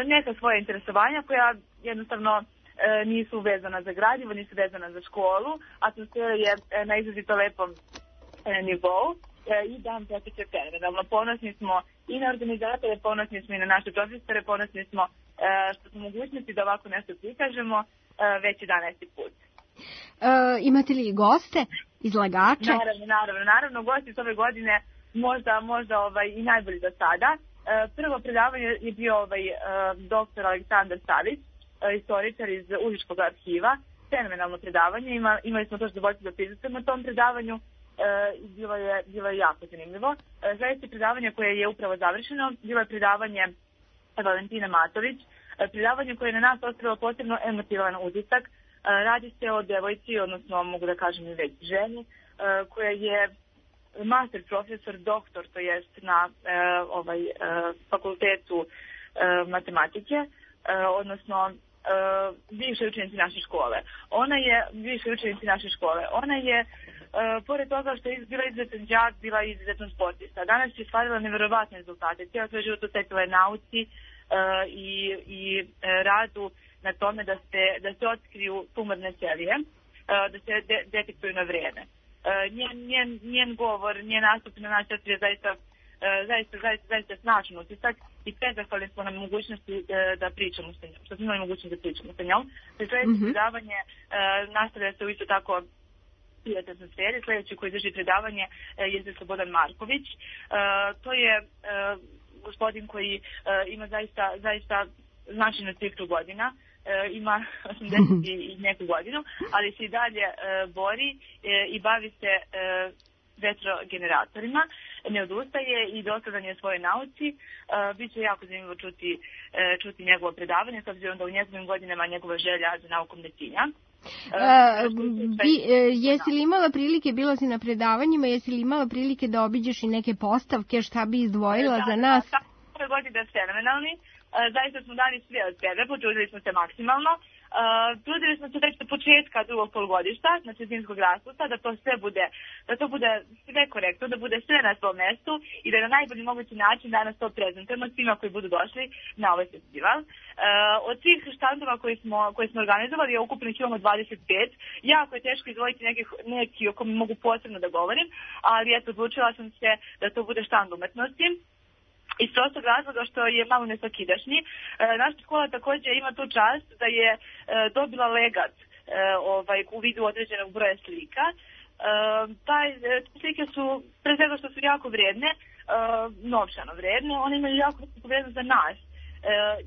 neka svoja interesovanja koja jednostavno nisu vezana za gradivo, nisu vezana za školu. Atmosfera je na izrazito lepom nivou i dan protiče fenomenalno. Ponosni smo i na organizatore, ponosni smo i na naše profesore, ponosni smo što smo mogućnosti da ovako nešto prikažemo već jedanaesti put. E, imate li goste, izlagače? Naravno, naravno, naravno, gosti s ove godine možda, možda ovaj, i najbolji do sada. E, prvo predavanje je bio ovaj, e, doktor Aleksandar Savić, e, istoričar iz Užičkog arhiva. Fenomenalno predavanje, Ima, imali smo to što zadovoljstvo da prisustvujemo na tom predavanju. E, bilo, je, bilo je jako zanimljivo. E, Sljedeće predavanje koje je upravo završeno, bilo je predavanje Valentina Matović, e, predavanje koje je na nas ostavilo posebno emotivan utisak. Radi se o devojci, odnosno mogu da kažem i već ženi, koja je master profesor, doktor, to jest na ovaj, fakultetu matematike, odnosno bivše učenici naše škole. Ona je, bivše učenici naše škole, ona je, pored toga što je bila izuzetan đak, bila izuzetan sportista. Danas je stvarila neverovatne rezultate. Cijela svoj život osvetila je nauci i, i radu na tome da se, da se otkriju tumorne ćelije, da se de, detektuju na vreme. Njen, njen, njen govor, njen nastup na nas je zaista, zaista, zaista, zaista snažan utisak i prezahvalni smo na mogućnosti da pričamo sa njom, što smo imali mogućnost da pričamo sa njom. Sljedeće mm-hmm. predavanje nastavlja se u isto tako prijatnoj atmosferi. Sljedeći koji drži predavanje je Slobodan Marković. To je gospodin koji ima zaista, zaista značajnu cifru godina, e, ima osamdeset i neku godinu, ali se i dalje e, bori e, i bavi se e, vetrogeneratorima, ne odustaje i dosadan je svoje nauci. E, Biće jako zanimljivo čuti, e, čuti njegovo predavanje, s obzirom da u njegovim godinama njegova želja za naukom ne tinja. E, bi, e, jesi li imala prilike, bila si na predavanjima, jesi li imala prilike da obiđeš i neke postavke, šta bi izdvojila da, za nas? Da, da, ove godine fenomenalni. Zaista smo dali sve od sebe, potrudili smo se maksimalno. Uh, trudili smo se već do početka drugog polugodišta, znači zimskog raspusta, da to sve bude, da to bude sve korektno, da bude sve na svom mestu i da na najbolji mogući način danas to prezentujemo svima koji budu došli na ovaj festival. Uh, od svih štandova koji smo, koji smo organizovali je ukupno ih imamo dvadeset pet. Jako je teško izdvojiti neki, neki o kome mogu posebno da govorim, ali eto, odlučila sam se da to bude štand umetnosti. Iz prostog razloga što je malo nesvakidašnji. E, naša škola također ima tu čast da je e, dobila legat e, ovaj, u vidu određenog broja slika. E, taj, slike su, pre svega što su jako vredne, e, novčano vredne, one imaju jako vrednost za nas, e,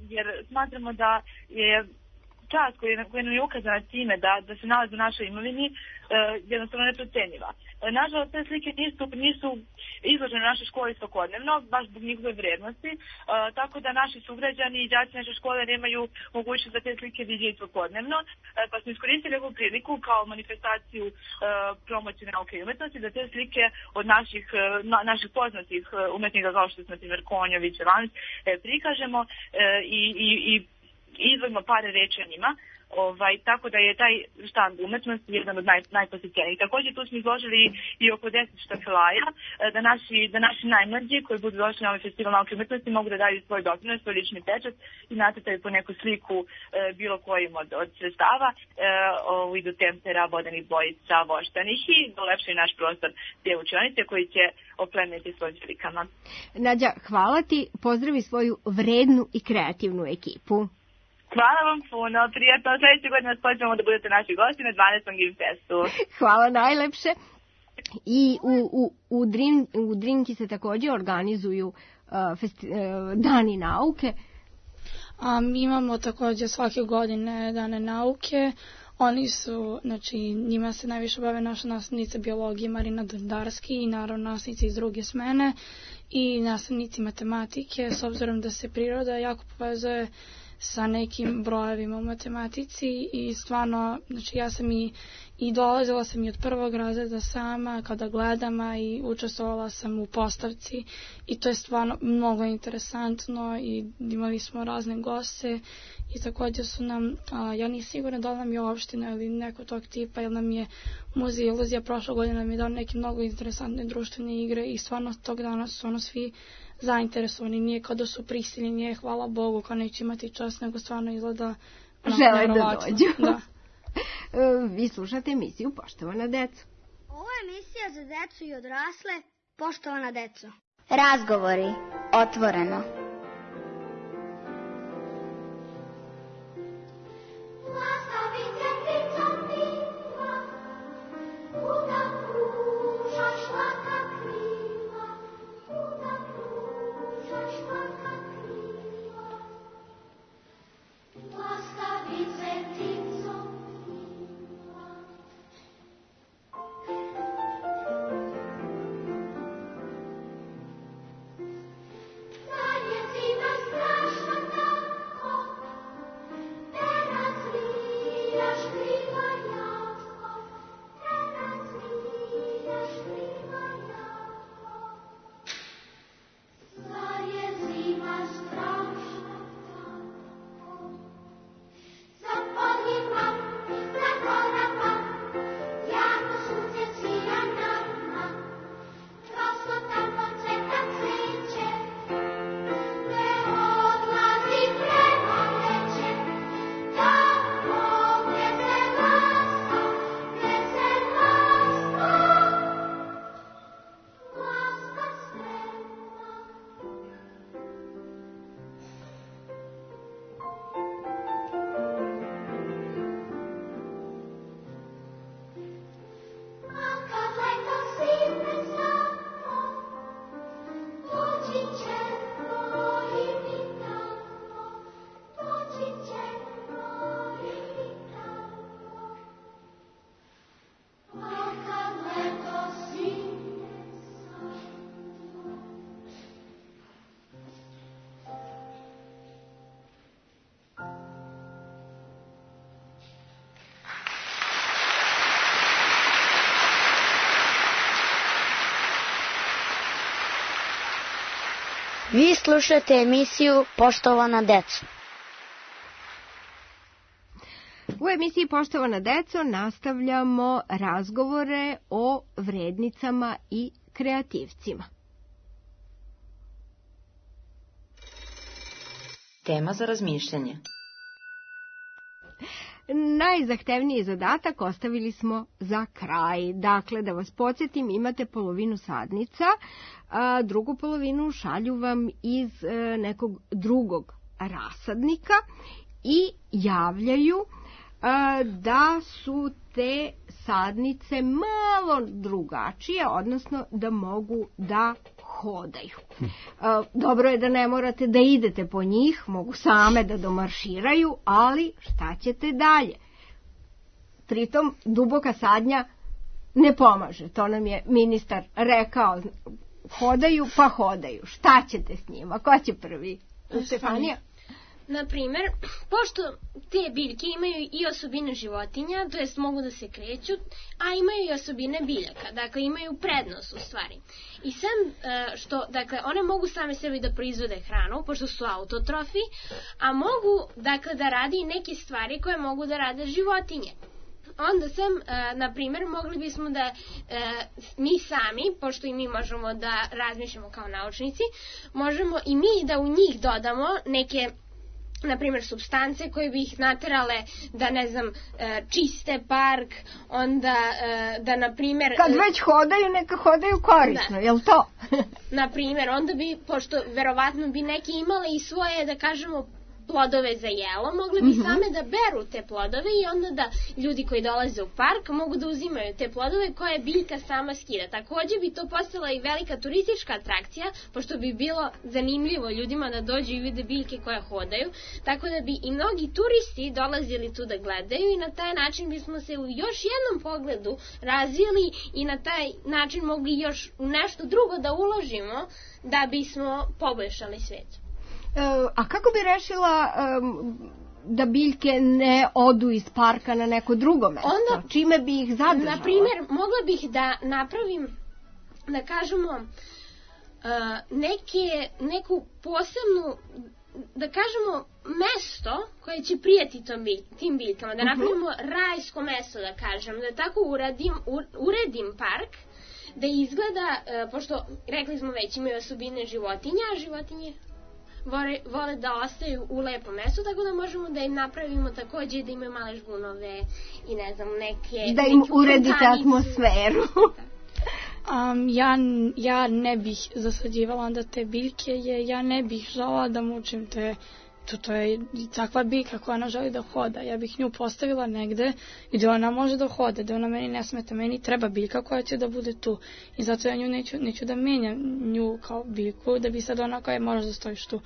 jer smatramo da je čast koja nam je ukazana time da, da se nalazi u našoj imovini e, jednostavno neprocenjiva. E, nažalost, te slike nisu, nisu izložene u našoj školi svakodnevno, baš zbog njihove vrijednosti, e, tako da naši sugrađani i đaci naše škole nemaju mogućnost da te slike vidjeti svakodnevno, e, pa smo iskoristili ovu priliku kao manifestaciju e, promocije nauke i umetnosti, da te slike od naših, e, na, naših poznatih umetnika kao što smo primjer Konjović, Lans, e, prikažemo e, i, i, i izvojimo par reči o njima, ovaj, tako da je taj štand umetnosti jedan od naj, najposjećenijih. Također tu smo izložili i oko deset štafelaja, da naši, da naši najmlađi koji budu došli na ovaj festival nauke i umetnosti mogu da daju svoj doprinos, svoj lični pečat i nacrtaju po neku sliku e, bilo kojim od, od sredstava e, u vidu tempera, vodenih bojica, voštanih i dolepšaju naš prostor te učionice koji će oplemeniti svojim slikama. Nađa, hvala ti, pozdravi svoju vrednu i kreativnu ekipu. Hvala vam puno, prijatno. Sljedeće godine vas pozivamo da budete naši gosti na dvanaestom Gimfestu. Hvala najlepše. I u, u, u, Drin, u Drinki se također organizuju uh, festi, uh, dani nauke. Um, imamo također svake godine dane nauke. Oni su, znači, njima se najviše bave naša nastavnica biologije Marina Dandarski i naravno nastavnici iz druge smene i nastavnici matematike, s obzirom da se priroda jako povezuje sa nekim brojevima u matematici i stvarno, znači ja sam i, i dolazila sam i od prvog razreda sama kada gledam, a i učestvovala sam u postavci i to je stvarno mnogo interesantno i imali smo razne goste i također su nam, a, ja nisam sigurna da li nam je opština ili neko tog tipa, jer nam je Muzej iluzija prošle godine nam je dao neke mnogo interesantne društvene igre i stvarno tog dana su ono svi zainteresovani, nije kao da su prisiljeni, nije hvala Bogu kao neće imati čas, nego stvarno izgleda žele da dođu. Da. Vi slušate emisiju Poštovana deco. Ovo je emisija za decu i odrasle. Poštovana deco. Razgovori otvoreno. Vi slušate emisiju Poštovana deco. U emisiji Poštovana deco nastavljamo razgovore o vrednicama i kreativcima. Tema za razmišljanje. Najzahtevniji zadatak ostavili smo za kraj. Dakle, da vas podsjetim, imate polovinu sadnica, a drugu polovinu šalju vam iz nekog drugog rasadnika i javljaju da su te sadnice malo drugačije, odnosno da mogu da hodaju. Dobro je da ne morate da idete po njih, mogu same da domarširaju, ali šta ćete dalje? Pritom duboka sadnja ne pomaže, to nam je ministar rekao, hodaju pa hodaju, šta ćete s njima, ko će prvi? Stefanija? Naprimer, pošto te biljke imaju i osobine životinja, to jest mogu da se kreću, a imaju i osobine biljaka, dakle imaju prednost u stvari. I sam što, dakle, one mogu same sebi da proizvode hranu, pošto su autotrofi, a mogu, dakle, da radi i neke stvari koje mogu da rade životinje. Onda sam, na primjer, mogli bismo da mi sami, pošto i mi možemo da razmišljamo kao naučnici, možemo i mi da u njih dodamo neke, na primjer, supstance koje bi ih naterale da, ne znam, čiste park, onda da, na primjer... Kad već hodaju, neka hodaju korisno, da. Jel to? Na primjer, onda bi, pošto verovatno bi neki imali i svoje, da kažemo, plodove za jelo, mogle bi mm-hmm. same da beru te plodove i onda da ljudi koji dolaze u park mogu da uzimaju te plodove koje biljka sama skida. Takođe bi to postala i velika turistička atrakcija, pošto bi bilo zanimljivo ljudima da dođu i vide biljke koje hodaju, tako da bi i mnogi turisti dolazili tu da gledaju i na taj način bismo se u još jednom pogledu razvili i na taj način mogli još u nešto drugo da uložimo da bismo poboljšali svet. E, a kako bi rešila um, da biljke ne odu iz parka na neko drugo mesto? Onda, čime bi ih zadržala? Na primjer, mogla bih da napravim, da kažemo, uh, neke, neku posebnu, da kažemo, mesto koje će prijeti tom bilj, tim biljkama, da napravimo uh-huh. rajsko mesto, da kažem, da tako uradim, uredim park, da izgleda, uh, pošto rekli smo već imaju osobine životinja, a životinje vole, vole da ostaju u lepom mestu, tako da možemo da im napravimo takođe da imaju male žgunove i ne znam, neke... Da im uredite atmosferu. Um, ja, ja ne bih zasađivala onda te biljke, jer ja ne bih žela da mučim te, to, to je takva biljka koja ona želi da hoda. Ja bih nju postavila negde gde ona može da hode, da ona meni ne smeta. Meni treba biljka koja će da bude tu. I zato ja nju neću, neću da menjam nju kao biljku, da bi sad ona koja možeš da stojiš tu.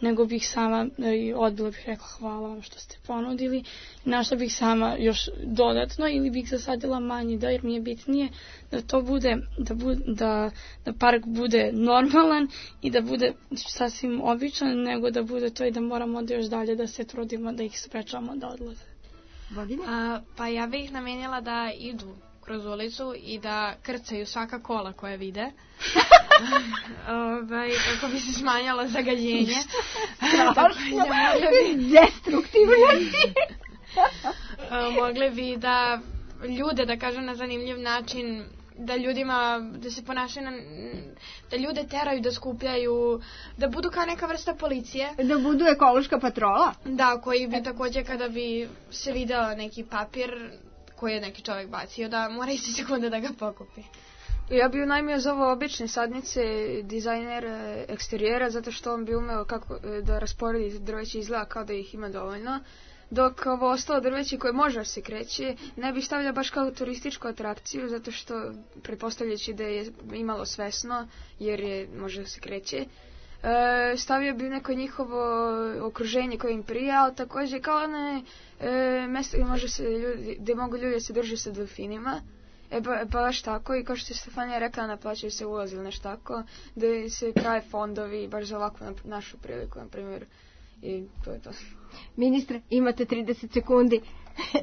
Nego bih sama i odbila bih rekla hvala vam što ste ponudili. Našla bih sama još dodatno ili bih zasadila manji da, jer mi je bitnije da to bude, da, bude, da, da park bude normalan i da bude sasvim običan, nego da bude to i da moramo da još dalje da se trudimo da ih sprečavamo da odlaze. A, pa ja bih ih namenjala da idu kroz ulicu i da krcaju svaka kola koje vide. Ovaj, kako bi se smanjalo zagađenje. Strašno, destruktivnosti. Mogli bi da ljude, da kažem na zanimljiv način, da ljudima, da se ponašaju na, da ljude teraju da skupljaju, da budu kao neka vrsta policije. Da budu ekološka patrola? Da, koji bi takođe kada bi se video neki papir koji je neki čovjek bacio, da mora isti sekunde da ga pokupi. Ja bi unajmio za ovo obične sadnice dizajner eksterijera, zato što on bi umeo kako da rasporedi drveće, izgleda kao da ih ima dovoljno. Dok ovo ostalo drveće koje može se kreće, ne bih stavljao baš kao turističku atrakciju, zato što pretpostavljajući da je imalo svesno, jer je može se kreće. E, stavio bi neko njihovo okruženje koje im prija, ali takođe kao one e, mesta gde, može se ljudi, gde mogu ljudi se druži sa delfinima. E ba, baš tako, i kao što je Stefanija rekla, naplaćaju se ulaz ili nešto tako, gde se prave fondovi baš za ovakvu našu priliku, na primjer, i to je to. Ministre, imate trideset sekundi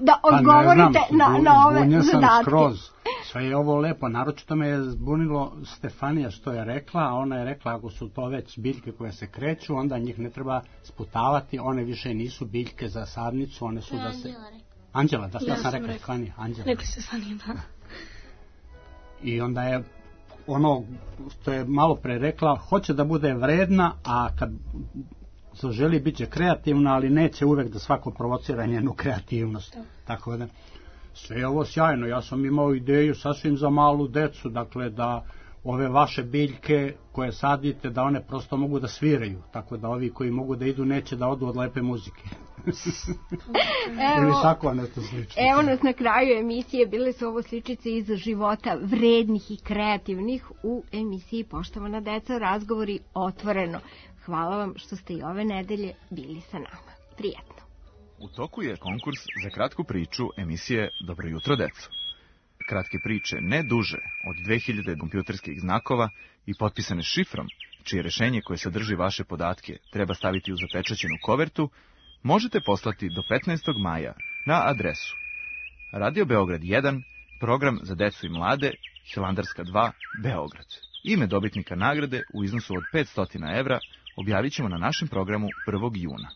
da odgovorite pa na, na ove zadatke. Sam skroz. Sve je ovo lepo, naročito me je zbunilo Stefanija što je rekla, a ona je rekla ako su to već biljke koje se kreću, onda njih ne treba sputavati, one više nisu biljke za sadnicu, one su da se... Anđela, da, ja sam rekla Stefanija, Anđela. Rekli Stefanija, da. I onda je ono što je malo pre rekla, hoće da bude vredna, a kad se želi bit će kreativna, ali neće uvek da svako provocira njenu kreativnost. Da. Tako da, sve je ovo sjajno. Ja sam imao ideju sasvim za malu decu, dakle da ove vaše biljke koje sadite, da one prosto mogu da sviraju, tako da ovi koji mogu da idu neće da odu od lepe muzike. Ili tako nešto slično. Evo nas na kraju emisije, bile su ovo sličice iz života vrednih i kreativnih u emisiji Poštovana deca, razgovori otvoreno. Hvala vam što ste i ove nedelje bili sa nama. Prijetno. U toku je konkurs za kratku priču emisije Dobro jutro, deco. Kratke priče ne duže od dve hiljade kompjuterskih znakova i potpisane šifrom, čije rešenje koje sadrži vaše podatke treba staviti u zapečaćenu kovertu, možete poslati do petnaestog maja na adresu Radio Beograd jedan, program za decu i mlade, Hilandarska dva, Beograd. Ime dobitnika nagrade u iznosu od petsto evra objavit ćemo na našem programu prvog juna.